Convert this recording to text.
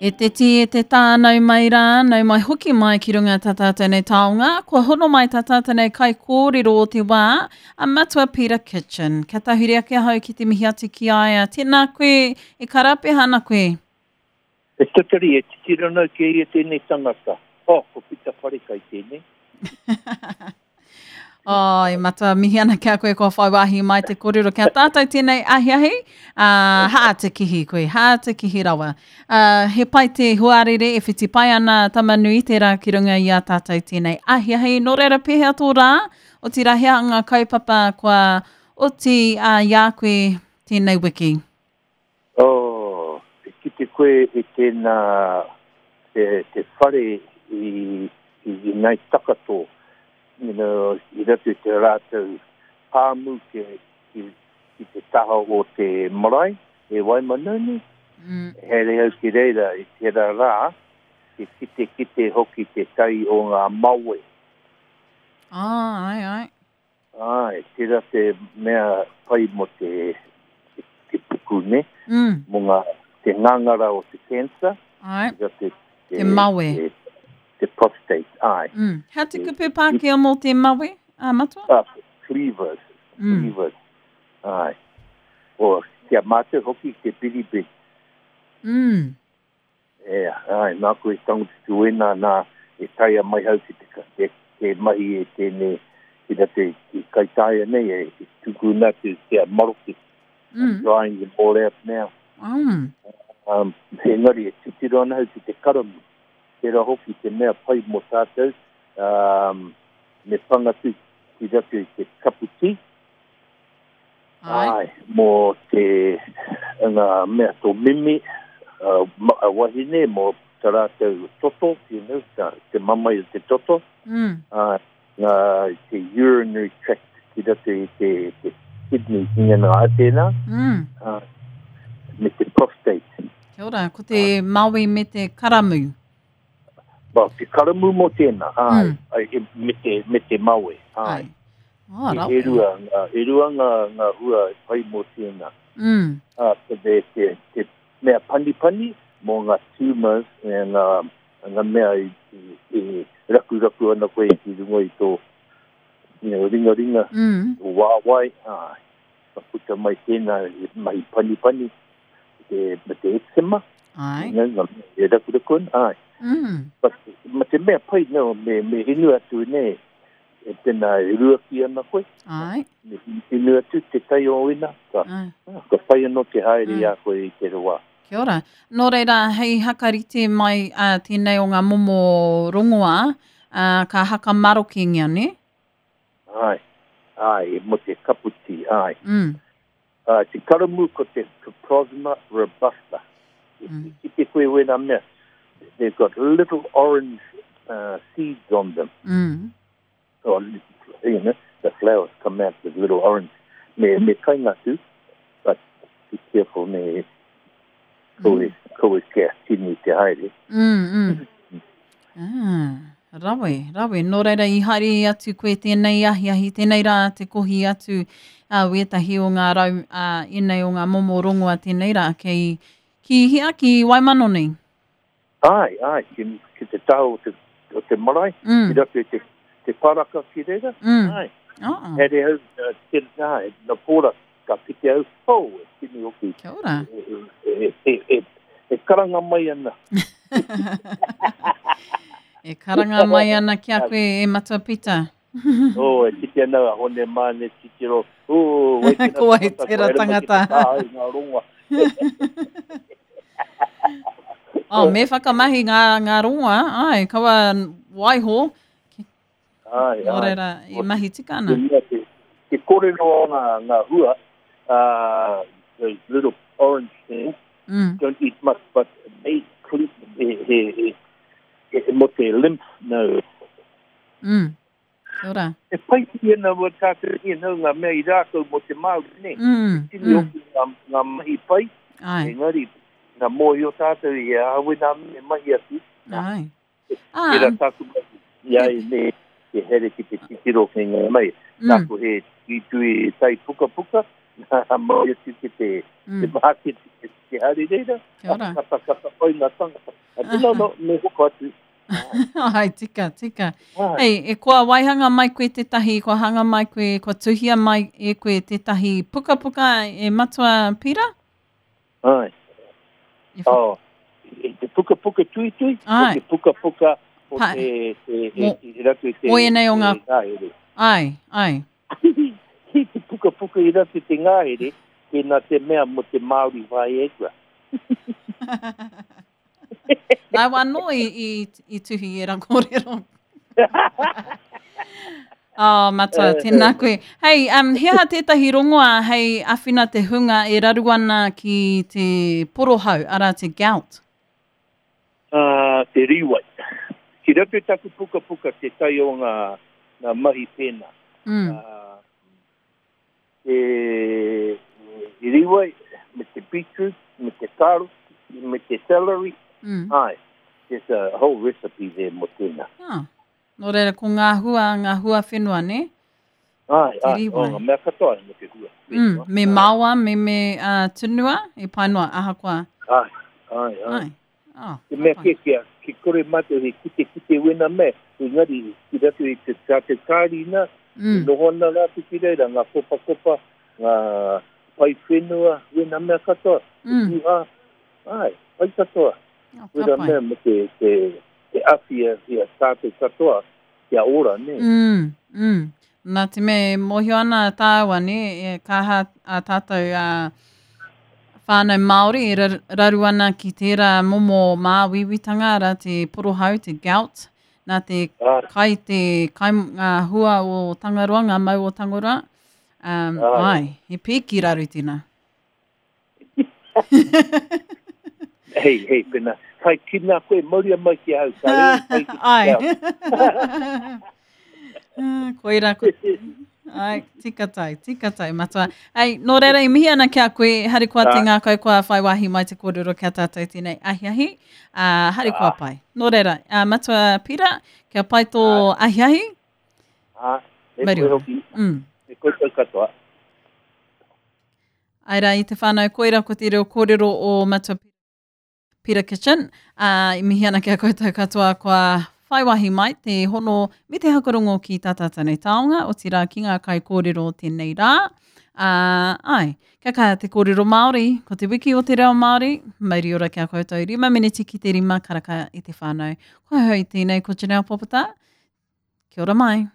E te tī, e te tā, nau mai rā, nau mai hoki mai ki runga tā tātou nei taonga. Kua hono mai tā tātou nei kaikōrero o te wā, a Matua Peter Kitchen. Kia tahuri ake ahau ki te mihi atu ki a ia. Tēnā koe, e karapeha ana koe. E tatari, e titiro ana ki a ia tēnei tangata. Oh, ko Pita Wharekai tēnei. Oh, e matua mihi ana ki a koe kua whai wāhi mai te kōrero ki a tātou tēnei ahiahi. Uh, hā te kihi koe, hā te kihi rawa. Uh, he pai te huarere e whiti pai ana Tamanui tērā ki runga i a tātou tēnei ahiahi. Nō reira pēhea tō rā? Otirā he aha ngā kaupapa kua oti uh, i a koe tēnei wiki? Oh, e kite koe i tēnā, te, te whare i, i, i Ngāi Takato, you know, i roto i te rātou pāmu ki, ki, ki te taha o te marae e Waimanoni. Mm. Haere au ki reira i tērā rā, te kite kite hoki te tai o ngā mawe. Ah, ai, ai. Āe, tērā te mea pai mō te, te puku, nē? Mm. Mō ngā, te ngangara o te cancer. Āe. Tērā te, te, te mawe. Te, te prostate, āe. Mm. Hea te kupu Pākehā mō te mawe, ā, Matua? Ah, cleavers, mm. cleavers, āe. O, ki a mātou hoki te biribiri. Mm. E, āe, nāku e tango te wēnā nā e taea mai hau ki te, te, te mahi e tēnei, ki rā te, i Kaitaia nei, e, e tukuna atu ki a Maroke. Mm. I'm drying them all out now. Mm. Um, engari e titiro ana hau ki te karamu. Tērā hoki te mea pai mō tātou, um, me pangatu ki roto i te kapu tī, Ai. Ai, mō te, ngā mea tō mimi, uh, a wahine, mō ta rātou toto, you know, ta, te mamae o te toto. Mm. Uh, ngā, te urinary tract ki roto i te, te kidney, ki ngā nā tēnā. Mm. Uh, me te prostate. Kia ora, ko te uh, maui me te karamu. Well, te karamu mō tēnā, āe, mm. ai, e, me, te, me te mawe, āe. Ai. Oh, e, e rua, ngā, e rua ngā, ngā hua e pai mō tēnā. Mm. Ā, te, te, te, te mea panipani mō ngā tumors e ngā, ngā mea i, i, i rakuraku ana koe ki runga i tō you know, ringaringa, mm. tō wāwae, āe. Ka puta mai tēnā e mahi panipani, te, me te eczema. Ai. You know, e rakuraku ana, ai. Mm. But, ma te mea pai, no, me, me hinu atu, ne, e tēnā e ruaki ana koe. Ai. Me hinu atu te tai o ina, ka, Ai. ka pai anō te haere i Mm. a koe i te wā. Kia ora. Nō reira, hei hakarite mai uh, tēnei o ngā momo rongoā, uh, ka hakamarokengia, ne? Ai, ai, mo te kaputi, ai. Mm. Uh, te karamu ko te Coprosma robusta. Mm. I kite koe wēnā mea. They've got little orange uh, seeds on them. Mm. Or, you know, the flowers come out with little orange. Me, me kai ngā tū, but be careful me koe, koe kia tini te haere. Mm, mm. Ah, rawe, rawe. Nō reira i haere atu koe tēnei ahiahi, tēnei rā te kohi atu uh, wētahi o ngā rau, uh, ēnei o ngā momo rongoa tēnei rā, kei, ki hea, ki Waimanoni? Ai, ai, ki, ki te taha o te, o te marae, Mm. ki roto i te, te paraka ki reira. Mm. Ai. Oh. Haere au, uh, te, ai, na pōra, ka kite au, oh, e tini hoki. Kia ora. E, e, e, e, e karanga mai ana. E karanga mai ana ki a koe e Matua Pita. Oh, e kite ana a Hone Mane titiro. Oh, wai tera Ko wai tangata, tera ko haere mai ki te tangata. taha i ngā rongoa. Oh, me whakamahi ngā, ngā rongoa, ai, kaua waiho. Ai, Nō ai. reira, e mahi tika ana. Te mea te, te kōrero o ngā, ngā hua, uh, those little orange things, Mm. don't eat much, but they clean, he, he, he, he, mo te lymph nodes. Mm. Kia ora. E pai ki ana wā tātou, you know, ngā mea i rākau mō te Māori, ne? Mm. Tini Mm. hoki ngā, ngā mahi pai, Ai. engari, ngā mōhio tātou i a awe nā me mahi atu, Ai. Tērā Ah, tāku mahi, i ai me te here ki te titiro ki ngā mai. mm, Nāku he tuitui tai pukapuka, nā mau atu ki te, te mm. māketi, te te haere reira. Kia ora. Kata, kata, pai ngā tangata. A te no, no, me hoko atu. Ai, tika, tika. Hei, e kua waihanga mai koe tētahi, kua hanga mai koe, kua tuhia mai e koe tētahi pukapuka e Matua Pira? Ai. Oh, e te pukapuka tuitui, o te pukapuka o te, te, te, te, ratu te, o ēnei o ngā... Ngahere. Ai, ai. Ki te pukapuka i ratu te ngahere, tēnā te mea mo te Māori whai e kua. Nāu anō i, i, i tuhi e ra kōrero. Oh, matua, tēnā koe. Hei, um, he aha tētahi rongoā hei awhina te hunga e raru ana ki te porohau, arā te gout? Uh, te rīwai. Ki roto i taku pukapuka te tai o ngā, ngā mahi pēnā. Uh, te rīwai, me te beetroot, me te carrot, me te celery. Ai, there's a whole recipe there mō tēnā. Ah. Nō reira, ko ngā hua, ngā hua whenua, nē? Ai, ai, o, ngā mea katoa mō te hua whenua. Me maoa, me me uh, tunua, e pai noa, ahakoa. Ai, ai, ai. Ai. Oh, te mea kē kia, ki kore mātou he kite kite wena mea, engari ki ratu i te tātou kārina, mm. e noho ana rātou ki reira, ngā kopakopa, ngā pai whenua, wena mea katoa, mm. te ai, pai katoa. Oh, ka wena pai. mea me te, te, te awhi a tātou katoa, kia ora, nē. Mm, mm. Nā te mea e mōhio ana tāua, nē, e kaha a tātou a whānau Māori e raru ana ki tērā momo māuiuitanga, arā te porohau, te gout, nā te kai, te kai ngā hua o Tangaroa, ngā mau o Tangaroa. Um, ai, he pīki raru tēnā. Hei, hei, pena, whai kina koe, mauria mai ki ahau, ka rere pai ki te Ai. Koira ko... Ai, tika tai, tika tai, matua. Hei, nō reira i mihi ana ki a koe, harikoa te ngākau kua whai wāhi mai te kōrero ki a tātou tēnei ahiahi. Uh, harikoa pai. Nō reira, uh, matua Pira, kia pai tō ahiahi. Ah, e koe hoki. E koutou katoa. Ae rā, i te whānau, koira ko te reo kōrero o Matua Peter Kitchen. Ā, i mihi ana ki a koutou katoa kua whai wāhi mai te hono me te hakarongo ki tā tātou nei taonga, otirā ki ngā kaikōrero o tēnei rā. Ā, āe, kia kaha te kōrero Māori, ko te wiki o te reo Māori, mauri ora ki a koutou, rima meneti ki te rima karaka i te whānau. Ko ahau i tēnei, ko Janelle Popata. Kia ora mai.